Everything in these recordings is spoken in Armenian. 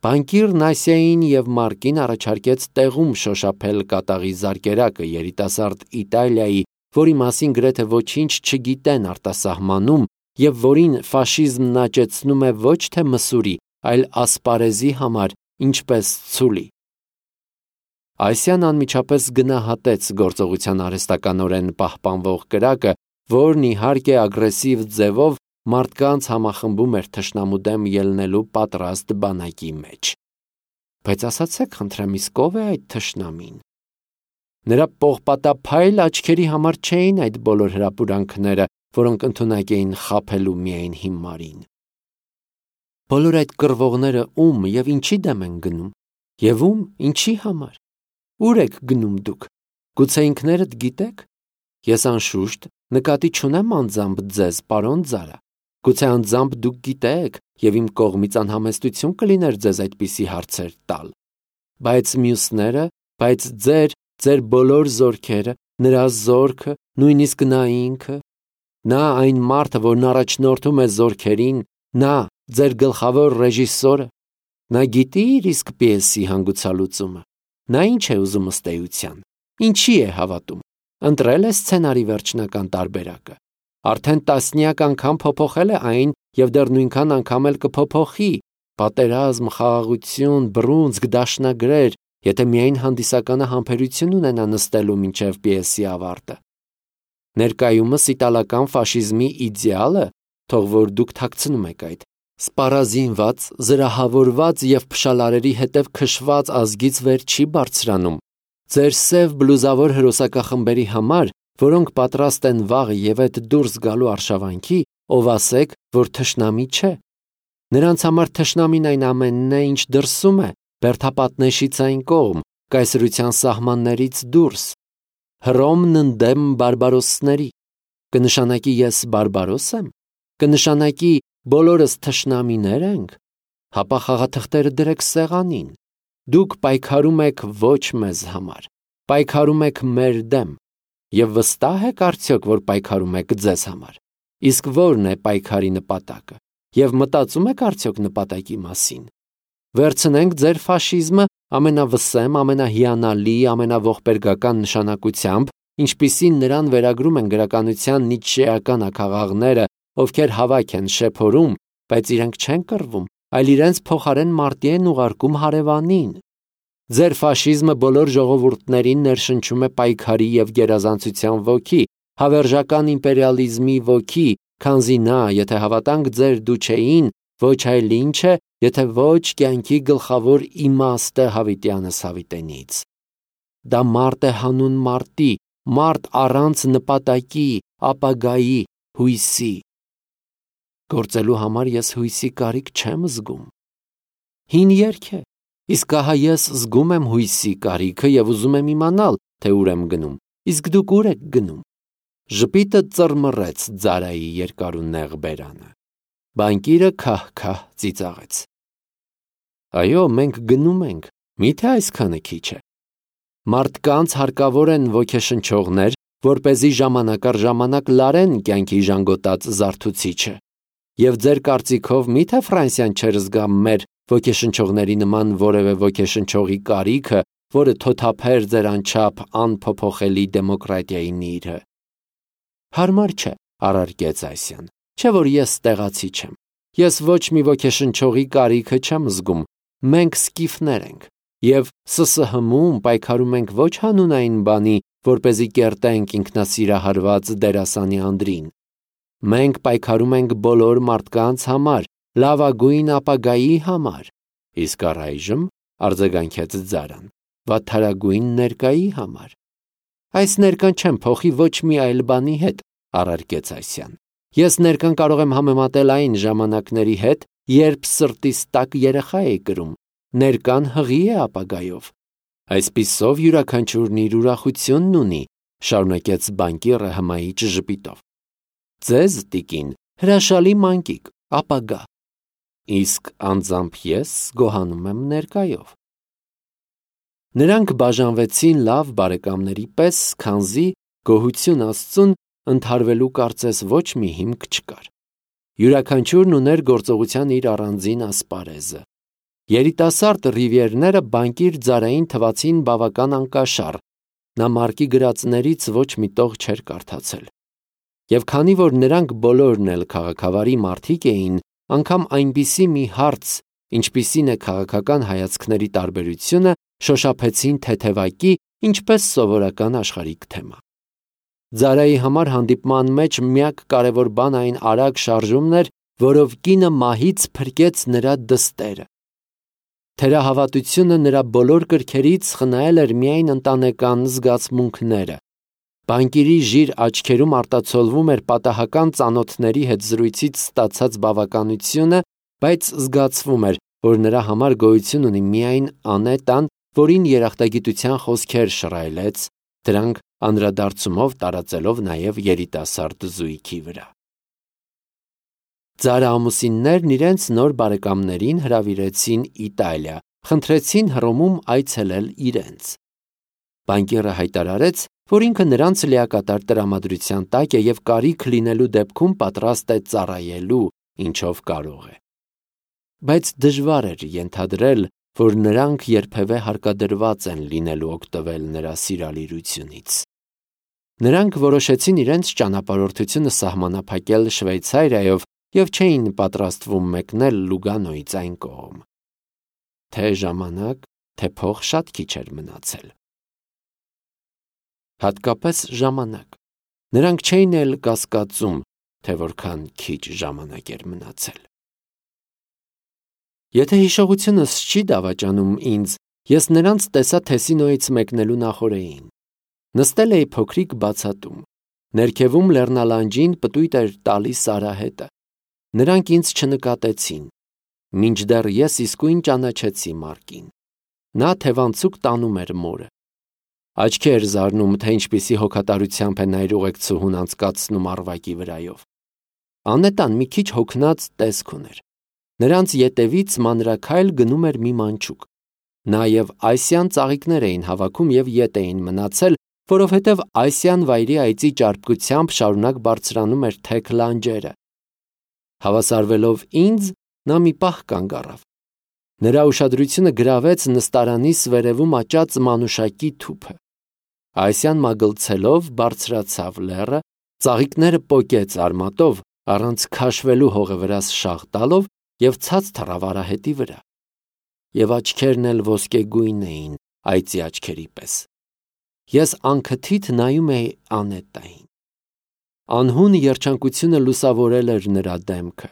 Բանկիր Նասիային և Մարկին առաջարկեց տեղում շոշափել կատաղի զարկերակը երիտասարդ Իտալիայի, որի մասին գրեթե ոչինչ չգիտեն արտասահմանում և որին ֆաշիզմն աճեցնում է ոչ թե մսուրի, այլ ասպարեզի համար, ինչպես ցուլի։ Այսյան անմիջապես գնահատեց գործողության արհեստականորեն պահպանվող կրակը, որն իհարկե ագրեսիվ ձևով մարդկանց համախմբում էր թշնամու դեմ ելնելու պատրաստ բանակի մեջ։ Բայց ասացեք խնդրեմ, իսկ ով է այդ թշնամին։ Նրա պողպատափայլ աչքերի համար չէին այդ բոլոր հրապուրանքները, որոնք ընդունակ էին խաբելու միայն հիմարին։ Բոլոր այդ կռվողները ում և ինչի դեմ են գնում, և ում, ինչի համար։ Ուր եք գնում դուք։ Գուցե ինքներդ գիտեք։ Ես անշուշտ նկատի չունեմ անձամբ ձեզ, պարոն Զարա։ Գուցե անձամբ դուք գիտեք, և իմ կողմից անհամեստություն կլիներ ձեզ այդպիսի հարցեր տալ։ Բայց մյուսները, բայց ձեր բոլոր զորքերը, նրա զորքը, նույնիսկ նա ինքը, նա այն մարդը, որն առաջնորդում է զորքերին, նա, ձեր գլխավոր ռեժիսորը, նա գիտի իր իսկ պիեսի հանգուցալուծումը, նա ինչ է ուզում ըստ էության, ինչի է հավատում, ընտրել է սցենարի վերջնական տարբերակը, արդեն տասնյակ անգամ փոփոխել է այն և դեռ նույնքան անգամ էլ կփոփոխի, պատերազմ, խաղաղություն, բռունցք, դաշնագրեր, եթե միայն հանդիսականը համբերություն ունենա նստելու մինչև պիեսի ավարտը։ Ներկայումս իտալական ֆաշիզմի իդեալը, թող որ դուք թաքցնում եք այդ, սպառազինված, զրահավորված և փշալարերի հետև քշված ազգից վեր չի բարձրանում։ Ձեր սև բլուզավոր հրոսակախմբերի համար, որոնք պատրաստ են վաղ և այդ դուրս գալու արշավանքի, ով ասեք, որ թշնամի չէ։ Նրանց համար թշնամին այն ամենն է, ինչ դրսում է, բերդապատնեշից այն կողմ, կայսրության սահմաններից դուրս։ Հռոմն ընդդեմ բարբարոսների։ Կնշանակի ես բարբարոս եմ։ Կնշանակի բոլորս թշնամիներ ենք։ Հապա խաղաթղթերը դրեք սեղանին։ Դուք պայքարում եք ոչ մեզ համար, պայքարում եք մեր դեմ, և վստահ եք արդյոք, որ պայքարում եք ձեզ համար։ Իսկ ո՞րն է պայքարի նպատակը, և մտածում եք արդյոք նպատակի մասին։ Վերցնենք ձեր ֆաշիզմը ամենավսեմ, ամենահիանալի, ամենաողբերգական նշանակությամբ, ինչպիսին նրան վերագրում են գրականության նիցշեական աքաղաղները, ովքեր հավաք են շեփորում, բայց իրենք չեն կռվում, այլ իրենց փոխարեն մարտի են ուղարկում հարևանին։ Ձեր ֆաշիզմը բոլոր ժողովուրդներին ներշնչում է պայքարի և գերազանցության ոգի, հավերժական իմպերիալիզմի ոգի, քանզի նա, եթե հավատանք ձեր դուչեին, ոչ այլ ինչ է, եթե ոչ կյանքի գլխավոր իմաստը հավիտյանս հավիտենից։ Դա մարդ է հանուն մարտի, մարդ առանց նպատակի, ապագայի, հույսի։ Գործելու համար ես հույսի կարիք չեմ զգում։ Հին երգ է, իսկ ահա ես զգում եմ հույսի կարիքը և ուզում եմ իմանալ, թե ուր եմ գնում, իսկ դուք ուր եք գնում։ Ժպիտը ծռմռեց Զարայի երկարունեղ բերանը։ Բանկիրը քահ-քահ ծիծաղեց։ Այո, մենք գնում ենք, միթե այսքանը քիչ է։ Մարդկանց հարկավոր են ոգեշնչողներ, որպեսզի ժամանակ առ ժամանակ լարեն կյանքի ժանգոտած զարթուցիչը։ Եվ ձեր կարծիքով միթե Ֆրանսիան չէր զգա մեր ոգեշնչողների նման որևէ ոգեշնչողի կարիքը, որը թոթափեր ձեր անչափ անփոփոխելի դեմոկրատիայի նիրհը։ Հարմար չէ, առարկեց Այսյան, չէ որ ես տեղացի չեմ։ Ես ոչ մի ոգեշնչողի կարիքը չեմ զգում, մենք սկիֆներ ենք, և ՍՍՀՄ-ում պայքարում ենք ոչ հանունային բանի, որպեսզի կերտենք ինքնասիրահարված դերասանի Անդրին։ Մենք պայքարում ենք բոլոր մարդկանց համար, լավագույն ապագայի համար, իսկ առայժմ, արձագանքեց Զարան, վատթարագույն ներկայի համար։ Այս ներկան չեմ փոխի ոչ մի այլ բանի հետ, առարկեց Այսյան։ Ես ներկան կարող եմ համեմատել այն ժամանակների հետ, երբ սրտիս տաք երեխա էի կրում, ներկան հղի է ապագայով։ Այսպիսով յուրաքանչյուրն իր ուրախությունն ունի, շարունակեց բանկիրը հմայիչ ժպիտով։ Ձեզ, տիկին, հրաշալի մանկիկ, ապագա, իսկ անձամբ ես գոհանում եմ ներկայով։ Նրանք բաժանվեցին լավ բարեկամների պես, քանզի գոհություն Աստծուն ընդհարվելու կարծես ոչ մի հիմք չկար։ Յուրաքանչյուրն ուներ գործողության իր առանձին ասպարեզը։ Երիտասարդ Ռիվիերները բանկիր Ձարային թվացին բավական անկաշառ, նա Մարկի գրածներից ոչ մի տող չէր կարդացել։ Եվ քանի որ նրանք բոլորն էլ քաղաքավարի մարդիկ էին, անգամ այնպիսի մի հարց, ինչպիսին է քաղաքական հայացքների տարբերությունը, շոշափեցին թեթևակի, ինչպես սովորական աշխարհիկ թեմա։ Ձարայի համար հանդիպման մեջ միակ կարևոր բան այն արագ շարժումն էր, որով կինը մահից փրկեց նրա դստերը։ Թերահավատությունը նրա բոլոր կրքերից խնայել էր միայն ընտանեկան զգացմունքները։ Բանկիրի ժիր աչքերում արտացոլվում էր պատահական ծանոթների հետ զրույցից ստացած բավականությունը, բայց զգացվում էր, որ նրա համար գոյություն ունի միայն Անետան, որին երախտագիտության խոսքեր շռայլեց, դրանք անդրադարձումով տարածելով նաև երիտասարդ զույգի վրա։ Ձարը ամուսիններն իրենց նոր բարեկամներին հրավիրեցին Իտալիա, խնդրեցին Հռոմում այցելել իրենց։ Բանկիրը հայտարարեց, որ ինքը նրանց լիակատար տրամադրության տակ է և կարիք լինելու դեպքում պատրաստ է ծառայելու, ինչով կարող է։ Բայց դժվար էր ենթադրել, որ նրանք երբևէ հարկադրված են լինելու օգտվել նրա սիրալիրությունից։ Նրանք որոշեցին իրենց ճանապարհորդությունը սահմանափակել Շվեյցարիայով և չէին պատրաստվում մեկնել Լուգանոյից այն կողմ։ Թե ժամանակ, թե փող շատ քիչ էր մնացել։ Հատկապես ժամանակ։ Նրանք չէին էլ կասկածում, թե որքան քիչ ժամանակ էր մնացել։ Եթե հիշողությունս չի դավաճանում ինձ, ես նրանց տեսա Թեսինոյից մեկնելու նախօրեին։ Նստել էի փոքրիկ բացատում։ Ներքևում լեռնալանջին պտույտ էր տալիս արահետը։ Նրանք ինձ չնկատեցին, մինչդեռ ես իսկույն ճանաչեցի Մարկին։ Նա թևանցուկ տանում էր մորը։ Աչքի էր զարնում, թե ինչպիսի հոգատարությամբ է նա իր ուղեկցուհուն անցկացնում առվակի վրայով։ Անետան մի քիչ հոգնած տեսք ուներ։ Նրանց ետևից մանրաքայլ գնում էր մի մանչուկ։ Նա և Այսյան ծաղիկներ էին հավաքում և ետ էին մնացել, որովհետև Այսյան վայրի այծի ճարպկությամբ շարունակ բարձրանում էր թեք լանջերը։ Հավասարվելով ինձ, նա մի պահ կանգ առավ։ Նրա ուշադրությունը գրավեց նստարանիս վերևում աճած մանուշակի թուփը։ Այսյան մագլցելով բարձրացավ լեռը, ծաղիկները պոկեց արմատով, առանց քաշվելու հողը վրաս շաղ տալով և ցած թռավ արահետի վրա։ Եվ աչքերն էլ ոսկեգույն էին, այծի աչքերի պես։ Ես անքթիթ նայում էի Անետային։ Անհուն երջանկությունը լուսավորել էր նրա դեմքը։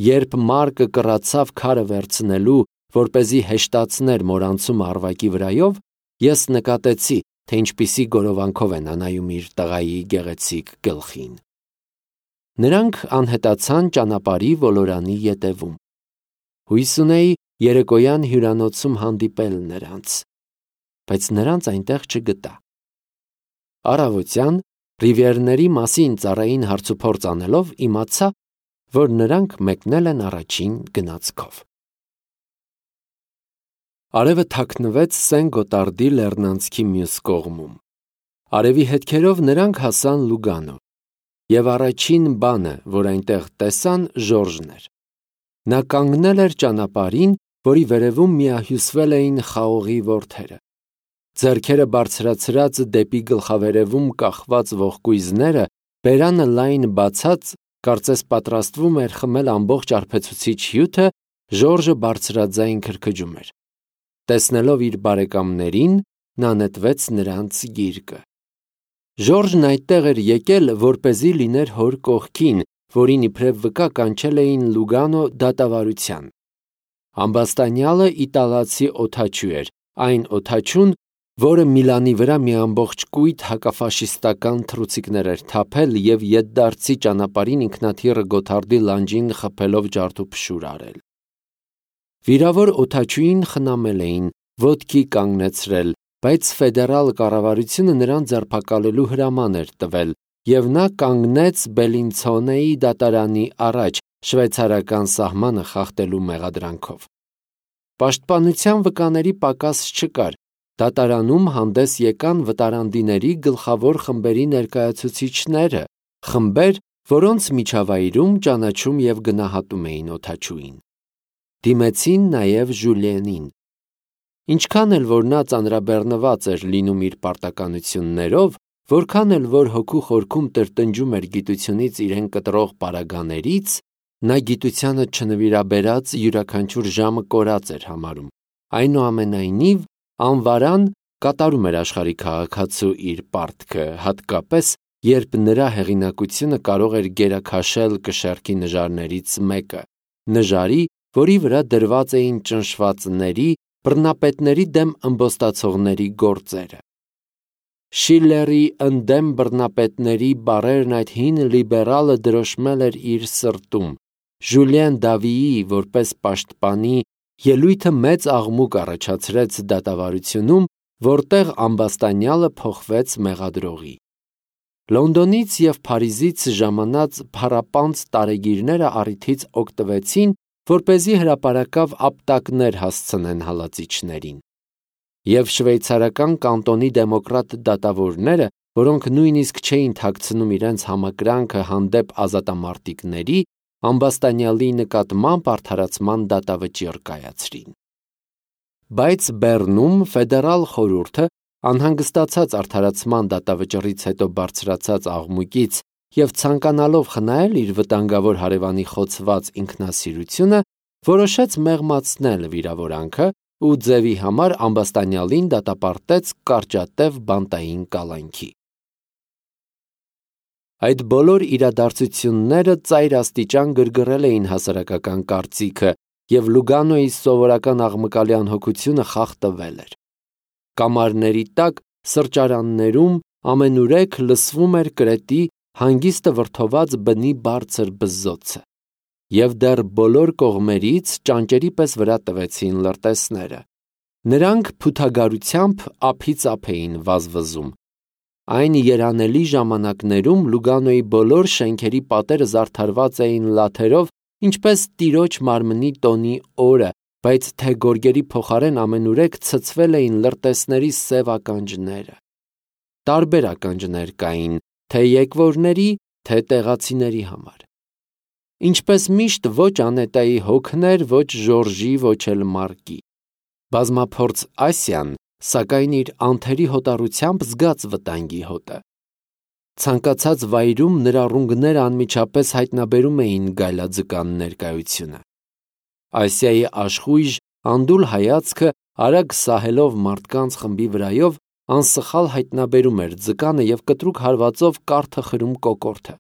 Երբ Մարկը կռացավ քարը վերցնելու, որպեսզի հեշտացներ մորանցումը առվակի վրայով, ես նկատեցի, թե ինչպիսի գորովանքով է նա նայում իր տղայի գեղեցիկ գլխին։ Նրանք անհետացան ճանապարհի ոլորանի ետևում։ Հույս ունեի երեկոյան հյուրանոցում հանդիպել նրանց, բայց նրանց այնտեղ չգտա։ Առավոտյան Ռիվիերների մասին ծառային հարցուփորձ անելով իմացա, որ նրանք մեկնել են առաջին գնացքով։ Արևը թաքնվեց Սեն Գոտարդի լեռնանցքի մյուս կողմում։ Արևի հետքերով նրանք հասան Լուգանո, և առաջին բանը, որ այնտեղ տեսան, Ժորժն էր։ Նա կանգնել էր ճանապարհին, որի վերևում միահյուսվել էին խաղողի որդերը։ Ձեռքերը բարձրացրած դեպի գլխավերևում կախված ողկույզները, բերանը լայն բացած, կարծես պատրաստվում էր խմել ամբողջ արբեցուցիչ հյութը, Ժորժը բարձրաձայն քրքջում էր։ Տեսնելով իր բարեկամներին, նա նետվեց նրանց գիրկը։ Ժորժն այդտեղ էր եկել, որպեսզի լիներ հոր կողքին, որին իբրև վկա կանչել էին Լուգանո դատավարության։ Ամբաստանյալը իտալացի օդաչու էր, այն օդաչուն, որը Միլանի վրա մի ամբողջ կույտ հակաֆաշիստական թռուցիկներ էր թափել և ետդարձի ճանապարհին ինքնաթիռը Գոթարդի լանջին խփելով ջարդուփշուր արել։ Վիրավոր օդաչուին խնամել էին, ոտքի կանգնեցրել, բայց ֆեդերալ կառավարությունը նրան ձերբակալելու հրաման էր տվել, և նա կանգնեց Բելինցոնեի դատարանի առաջ շվեյցարական սահմանը խախտելու մեղադրանքով։ Պաշտպանության վկաների պակաս չկար, դատարանում հանդես եկան վտարանդիների գլխավոր խմբերի ներկայացուցիչները, խմբեր, որոնց միջավայրում ճանաչում և գնահատում էին օդաչուին։ Դիմեցին նաև Ժուլիենին։ Ինչքան էլ որ նա ծանրաբեռնված էր լինում իր պարտականություններով, որքան էլ որ հոգու խորքում տրտնջում էր գիտությունից իրեն կտրող պարագաներից, նա գիտությանը չնվիրաբերած յուրաքանչյուր ժամը կորած էր համարում։ Այնուամենայնիվ, անվարան կատարում էր աշխարհի քաղաքացու իր պարտքը, հատկապես երբ նրա հեղինակությունը կարող էր գերաքաշել կշեռքի նժարներից մեկը, նժարի, որի վրա դրված էին ճնշվածների, բռնապետների դեմ ըմբոստացողների գործերը։ Շիլլերի ընդդեմ բռնապետների բառերն այդ հին լիբերալը դրոշմել էր իր սրտում։ Ժուլիեն Դավիի որպես պաշտպանի ելույթը մեծ աղմուկ առաջացրեց դատավարությունում, որտեղ ամբաստանյալը փոխվեց մեղադրողի։ Լոնդոնից և Փարիզից ժամանած փառապանծ տարեգիրները առիթից օգտվեցին, որպեսզի հրապարակավ ապտակներ հասցնեն հալածիչներին։ Եվ շվեյցարական կանտոնի դեմոկրատ դատավորները, որոնք նույնիսկ չէին թաքցնում իրենց համակրանքը հանդեպ ազատամարտիկների, ամբաստանյալի նկատմամբ արդարացման դատավճիռ կայացրին։ Բայց Բեռնում ֆեդերալ խորհուրդը, անհանգստացած արդարացման դատավճռից հետո բարձրացած աղմուկից և ցանկանալով խնայել իր վտանգավոր հարևանի խոցված ինքնասիրությունը, որոշեց մեղմացնել վիրավորանքը ու ձևի համար ամբաստանյալին դատապարտեց կարճատև բանտային կալանքի։ Այդ բոլոր իրադարձությունները ծայր աստիճան գրգռել էին հասարակական կարծիքը, և Լուգանոյի սովորական աղմկալի անհոգությունը խախտվել էր։ Կամարների տակ սրճարաններում ամենուրեք լսվում էր կրետի հանգիստը վրդոված բնի բարձր բզզոցը, և դեռ բոլոր կողմերից ճանճերի պես վրա տվեցին լրտեսները։ Նրանք փութագարությամբ ափից ափ էին վազվզում։ Այն երանելի ժամանակներում Լուգանոյի բոլոր շենքերի պատերը զարդարված էին լաթերով, ինչպես տիրոջ մարմնի տոնի օրը, բայց թե գորգերի փոխարեն ամենուրեք ցցվել էին լրտեսների սև ականջները։ Տարբեր ականջներ կային, թե եկվորների, թե տեղացիների համար։ Ինչպես միշտ ոչ Անետայի հոգն էր, ոչ Ժորժի, ոչ էլ Մարկի։ Բազմափորձ Ասիան, սակայն իր անթերի հոտառությամբ զգաց վտանգի հոտը։ Ցանկացած վայրում նրա ռունգները անմիջապես հայտնաբերում էին գայլաձկան ներկայությունը։ Ասիայի աշխույժ, անդուլ հայացքը, արագ սահելով մարդկանց խմբի վրայով, անսխալ հայտնաբերում էր ձկանը և կտրուկ հարվածով կարթը խրում կոկորդը։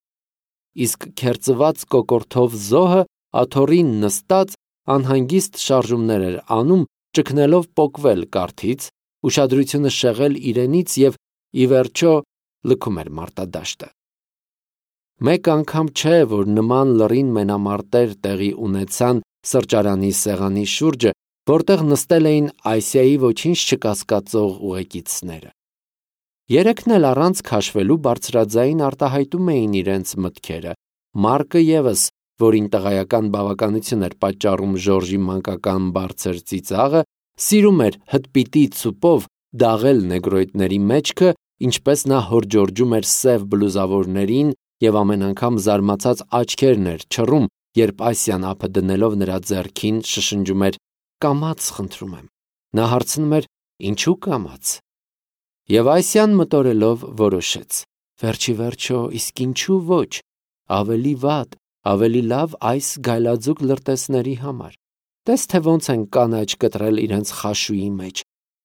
Իսկ քերծված կոկորդով զոհը աթոռին նստած անհանգիստ շարժումներ էր անում, ճգնելով պոկվել կարթից, ուշադրությունը շեղել իրենից և, ի վերջո, լքում էր մարտադաշտը։ Մեկ անգամ չէ, որ նման լռին մենամարտեր տեղի ունեցան սրճարանի սեղանի շուրջը, որտեղ նստել էին Ասիայի ոչինչ չկասկածող ուղեկիցները։ Երեքն էլ առանց քաշվելու բարձրաձայն արտահայտում էին իրենց մտքերը։ Մարկը ևս, որին տղայական բավականություն էր պատճառում Ժորժի մանկական բարձր ծիծաղը, սիրում էր հտպիտի ծուպով դաղել նեգրոիդների մեջքը, ինչպես նա հորջորջում էր սև բլուզավորներին և ամեն անգամ զարմացած աչքերն էր չռում, երբ Ասիան ափը դնելով նրա ձեռքին շշնջում էր. «Կամաց, խնդրում եմ»։ Նա հարցնում էր. «Ինչու կամաց»։ Եվ Ասիան մտորելով որոշեց. «Վերջի վերջո, իսկ ինչու ոչ, ավելի վատ, ավելի լավ այս գայլաձուկ լրտեսների համար։ Տես թե ոնց են կանաչ կտրել իրենց խաշուի մեջ,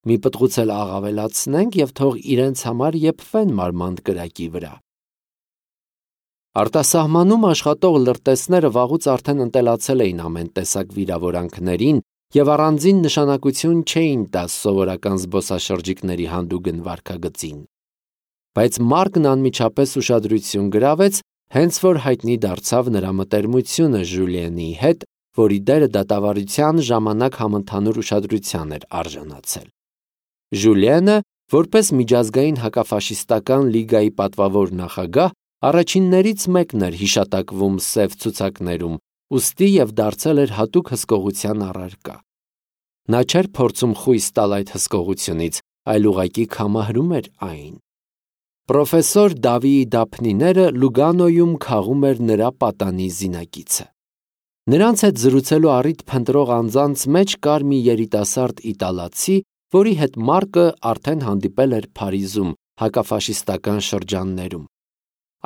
մի պտղուց էլ աղավելացնենք և թող իրենց համար եփվեն մարմանդ կրակի վրա»։ Արտասահմանում աշխատող լրտեսները վաղուց արդեն ընտելացել էին ամեն տեսակ վիրավորանքներին և առանձին նշանակություն չէին տա սովորական զբոսաշրջիկների հանդուգն վարքագծին։ Բայց Մարկն անմիջապես ուշադրություն գրավեց, հենց որ հայտնի դարձավ նրա մտերմությունը Ժուլիենի հետ, որի դերը դատավարության ժամանակ համընդհանուր ուշադրության էր արժանացել։ Ժուլիենը, որպես միջազգային հակաֆաշիստական լիգայի պատվավոր նախագահ, առաջիններից մեկն էր հիշատակվում սև ցուցակներում, ուստի և դարձել էր հատուկ հսկողության առարկա։ Նա չէր փորձում խույս տալ այդ հսկողությունից, այլ ուղղակի քամահրում էր այն։ Պրոֆեսոր Դավիի դափնիները Լուգանոյում քաղում էր նրա պատանի զինակիցը։ Նրանց հետ զրուցելու առիթ փնտրող անձանց մեջ կար մի երիտասարդ իտալացի, որի հետ Մարկը արդեն հանդիպել էր Փարիզում, հակաֆաշիստական շրջաններում։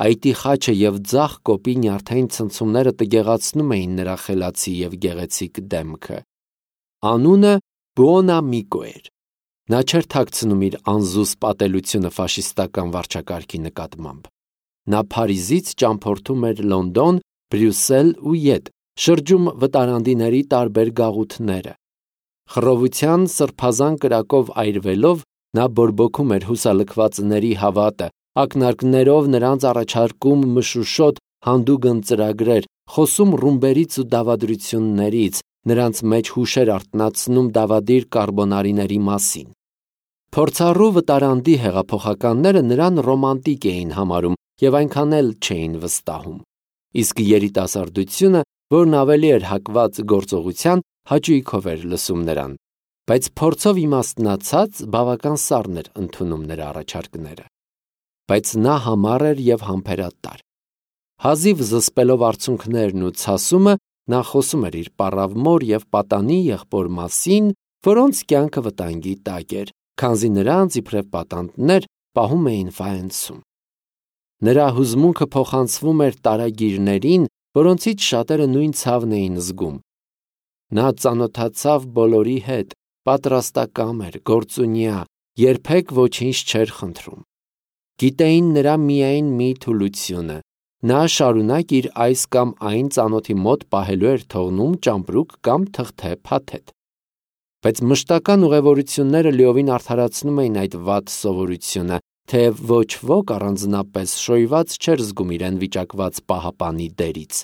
Այտի խաչը և ձախ կոպի նյարդային ցնցումները տգեղացնում էին նրա խելացի և գեղեցիկ դեմքը։ Անունը Բուոնամիկո էր։ Նա չէր թաքցնում իր անզուսպ ատելությունը ֆաշիստական վարչակարգի նկատմամբ։ Նա Փարիզից ճամփորդում էր Լոնդոն, Բրյուսել ու ետ, շրջում վտարանդիների տարբեր գաղութները։ Խռովության սրբազան կրակով այրվելով, նա բորբոքում էր հուսալքվածների հավատը, ակնարկներով նրանց առաջարկում մշուշոտ հանդուգն ծրագրեր, խոսում ռումբերից ու դավադրություններից, նրանց մեջ հուշեր արթնացնում դավադիր կարբոնարիների մասին։ Փորձառու վտարանդի հեղափոխականները նրան ռոմանտիկ էին համարում և այնքան էլ չէին վստահում։ Իսկ երիտասարդությունը, որն ավելի էր հակված գործողության, հաճույքով էր լսում նրան, բայց փորձով իմաստնացած բավական սառն էր ընդունում նրա առաջարկները։ Բայց նա համառ էր և համբերատար։ Հազիվ զսպելով արցունքներն ու ցասումը, նա խոսում էր իր պառավ մոր և պատանի եղբոր մասին, որոնց կյանքը վտանգի տակ էր, քանզի նրանց իբրև պատանդներ պահում էին Ֆաենսում։ Նրա հուզմունքը փոխանցվում էր տարագիրներին, որոնցից շատերը նույն ցավն էին զգում։ Նա ծանոթացավ բոլորի հետ, պատրաստակամ էր, գործունյա, երբեք ոչինչ չէր խնդրում։ Գիտեին նրա միայն մի թուլությունը, նա շարունակ իր այս կամ այն ծանոթի մոտ պահելու էր թողնում ճամպրուկ կամ թղթե փաթեթ։ Բայց մշտական ուղևորությունները լիովին արդարացնում էին այդ վատ սովորությունը, թեև ոչ ոք առանձնապես շոյված չէր զգում իրեն վիճակված պահապանի դերից։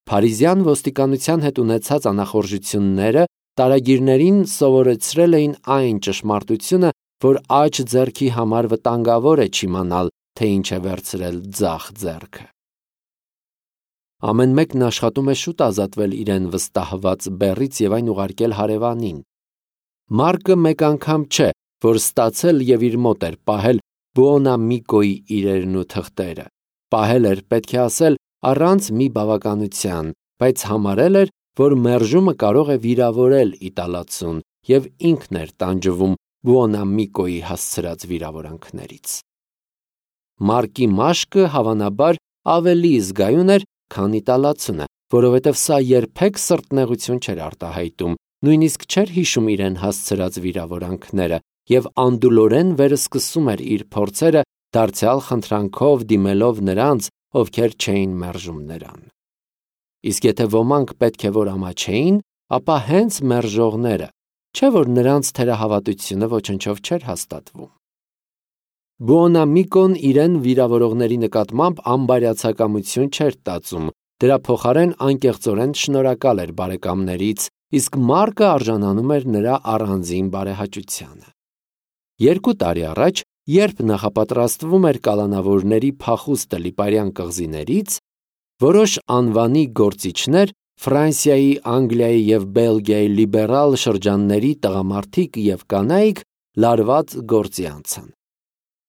Փարիզյան ոստիկանության հետ ունեցած անախորժությունները տարագիրներին սովորեցրել էին այն ճշմարտությունը, որ աջ ձեռքի համար վտանգավոր է չիմանալ, թե ինչ է վերցրել ձախ ձեռքը։ Ամեն մեկն աշխատում է շուտ ազատվել իրեն վստահված բեռից և այն ուղարկել հարևանին։ Մարկը մեկ անգամ չէ, որ ստացել և իր մոտ էր պահել Բուոնամիկոյի իրերն ու թղթերը։ Պահել էր, պետք է ասել, առանց մի բավականության, բայց համարել էր, որ մերժումը կարող է վիրավորել իտալացուն և ինքն էր տանջվում Բուոնամիկոյի հասցրած վիրավորանքներից։ Մարկի մաշկը հավանաբար ավելի զգայուն էր, քան իտալացունը, որովհետև սա երբեք սրտնեղություն չէր արտահայտում, նույնիսկ չէր հիշում իրեն հասցրած վիրավորանքները և անդուլորեն վերսկսում էր իր փորձերը, դարձյալ խնդրանքով դիմելով նրանց, ովքեր չէին մերժում նրան։ Իսկ եթե ոմանք պետք է որ ամաչեին, ապա հենց մերժողները, չէ՞ որ նրանց թերահավատությունը ոչնչով չէր հաստատվում։ Բուոնամիկոն իրեն վիրավորողների նկատմամբ անբարյացակամություն չէր տածում, դրա փոխարեն անկեղծորեն շնորհակալ էր բարեկամներից, իսկ Մարկը արժանանում էր նրա առանձին բարեհաճությանը։ 2 տարի առաջ, երբ նախապատրաստվում էր կալանավորների փախուստը Լիպարյան կղզիներից, որոշ անվանի գործիչներ, Ֆրանսիայի, Անգլիայի և Բելգիայի լիբերալ շրջանների տղամարդիկ և կանայք լարված գործի անցան։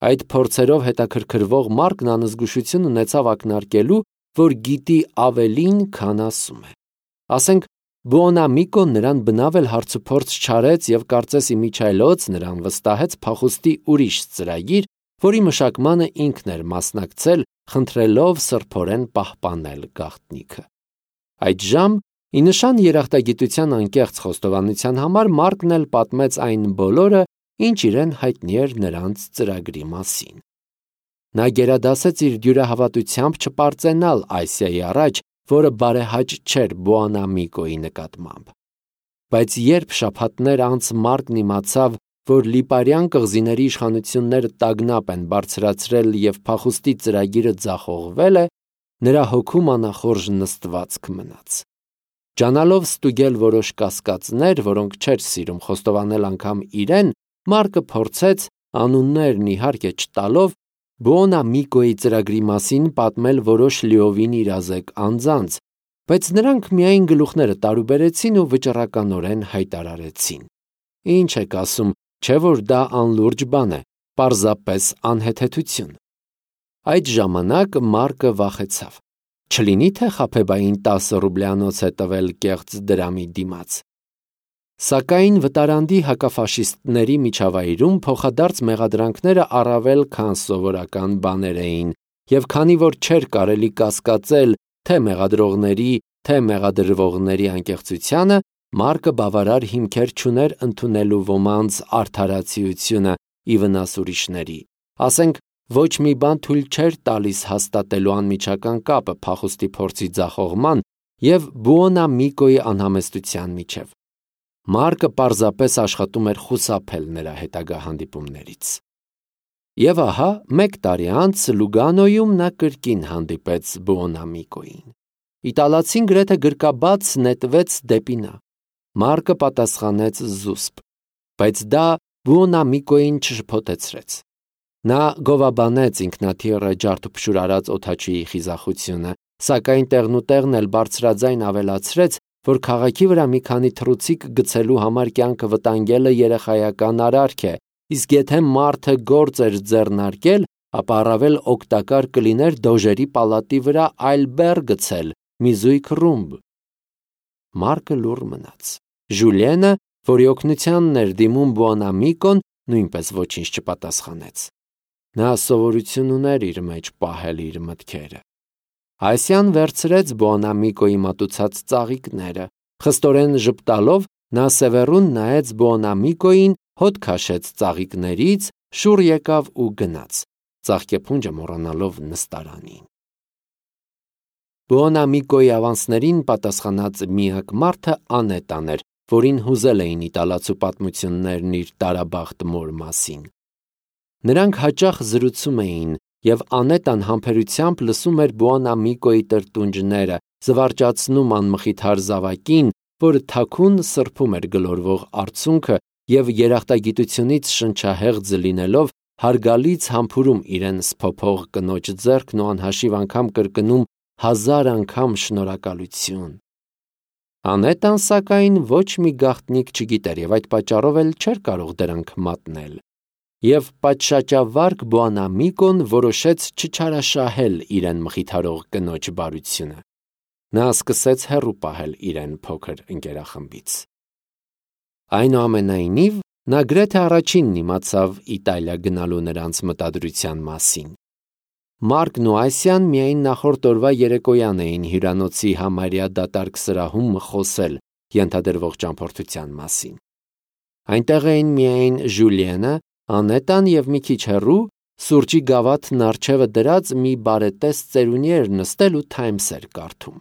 Այդ փորձերով հետաքրքրվող Մարկն անզգուշություն ունեցավ ակնարկելու, որ գիտի ավելին, քան ասում է։ Ասենք, Բուոնամիկոն նրան բնավ էլ հարցուփորձ չարեց և կարծես իմիջիայլոց նրան վստահեց փախուստի ուրիշ ծրագիր, որի մշակմանը ինքն էր մասնակցել, խնդրելով սրբորեն պահպանել գաղտնիքը։ Այդժամ, ի նշան երախտագիտության անկեղծ խոստովանության համար, Մարկն էլ պատմեց այն բոլորը, ինչ իրեն հայտնի էր նրանց ծրագրի մասին։ Նա գերադասեց իր դյուրահավատությամբ չպարծենալ Ասիայի առաջ, որը բարեհաճ չէր Բուոնամիկոյի նկատմամբ։ Բայց երբ շաբաթներ անց Մարկն իմացավ, որ Լիպարյան կղզիների իշխանությունները տագնապ են բարձրացրել և փախուստի ծրագիրը ձախողվել է, նրա հոգում անախորժ նստվածք մնաց։ Ջանալով ստուգել որոշ կասկածներ, որոնք չէր սիրում խոստովանել անգամ իրեն, Մարկը փորձեց, անուններն իհարկե չտալով, Բուոնամիկոյի ծրագրի մասին պատմել որոշ լիովին իրազեկ անձանց, բայց նրանք միայն գլուխները տարուբերեցին ու վճռականորեն հայտարարեցին. «Ինչ եք ասում, չէ՞ որ դա անլուրջ բան է, պարզապես անհեթեթություն»։ Այդ ժամանակ Մարկը վախեցավ։ Չլինի թե Խաբեբային 10 ռուբլյանոց է տվել կեղծ դրամի դիմաց։ Սակայն վտարանդի հակաֆաշիստների միջավայրում փոխադարձ մեղադրանքները առավել քան սովորական բաներ էին, եւ քանի որ չէր կարելի կասկածել թե մեղադրողների, թե մեղադրվողների անկեղծությանը, Մարկը բավարար հիմքեր չուներ ընդունելու ոմանց արդարացիությունը ի վնաս ուրիշների։ Ասենք, ոչ մի բան թույլ չէր տալիս հաստատելու անմիջական կապը փախուստի փորձի ձախողման եւ Բուոնամիկոյի անհամեստության միջև։ Մարկը պարզապես աշխատում էր խուսափել նրա հետագա հանդիպումներից։ Եվ ահա, 1 տարի անց Լուգանոյում նա կրկին հանդիպեց Բուոնամիկոյին։ Իտալացին գրեթե գրկաբաց նետվեց դեպի նա։ Մարկը պատասխանեց զուսպ, բայց դա Բուոնամիկոյին չշփոթեցրեց։ Նա գովաբանեց ինքնաթիռը ջարդուփշուր արած օդաչուի խիզախությունը, սակայն տեղնուտեղն էլ բարձրաձայն ավելացրեց, որ քաղաքի վրա մի քանի թռուցիկ գցելու համար կյանքը վտանգելը երեխայական արարք է, իսկ եթե մարդը գործ էր ձեռնարկել, ապա առավել օգտակար կլիներ դոժերի պալատի վրա այլ բեռ գցել, մի զույգ ռումբ։ Մարկը լուռ մնաց։ Ժուլիենը, որի օգնությանն էր դիմում Բուոնամիկոն, նույնպես ոչինչ չպատասխանեց։ Նա սովորություն ուներ իր մեջ պահել իր մտքերը։ Այսյան վերցրեց Բուոնամիկոյի մատուցած ծաղիկները, խստորեն ժպտալով նա սևեռուն նայեց Բուոնամիկոյին, հոտ քաշեց ծաղիկներից, շուռ եկավ ու գնաց, ծաղկեփունջը մոռանալով նստարանին։ Բուոնամիկոյի ավանսներին պատասխանած միակ մարդը Անետան էր, որին հուզել էին իտալացու պատմություններն իր տարաբախտ մոր մասին։ Նրանք հաճախ զրուցում էին, եւ Անետան համբերությամբ լսում էր Բուոնամիկոյի տրտունջները, զվարճացնում անմխիթար զավակին, որը թաքուն սրբում էր գլորվող արցունքը եւ երախտագիտությունից շնչահեղձ լինելով հարգալից համբուրում իրեն սփոփող կնոջ ձեռքն ու անհաշիվ անգամ կրկնում 1000 անգամ շնորհակալություն։ Անետան, սակայն, ոչ մի գաղտնիք չգիտեր եւ այդ պատճառով էլ չէր կարող դրանք մատնել։ Եվ պատշաճավարկ Բուոնամիկոն որոշեց չչարաշահել իրեն մխիթարող կնոջ բարությունը։ Նա սկսեց հեռու պահել իրեն փոքր ընկերախմբից։ Այնուամենայնիվ, նա գրեթե առաջինն իմացավ Իտալիա գնալու նրանց մտադրության մասին։ Մարկն ու Այսյան միայն նախորդ օրվա երեկոյան էին հյուրանոցի համարյա դատարկ սրահում խոսել ենթադրվող ճամփորդության մասին։ Այնտեղ էին միայն Ժուլիենը, Անետան եւ մի քիչ հեռու սուրճի գավաթն առջևը դրած մի բարետես ծերունի էր նստել ու Թայմս էր կարդում։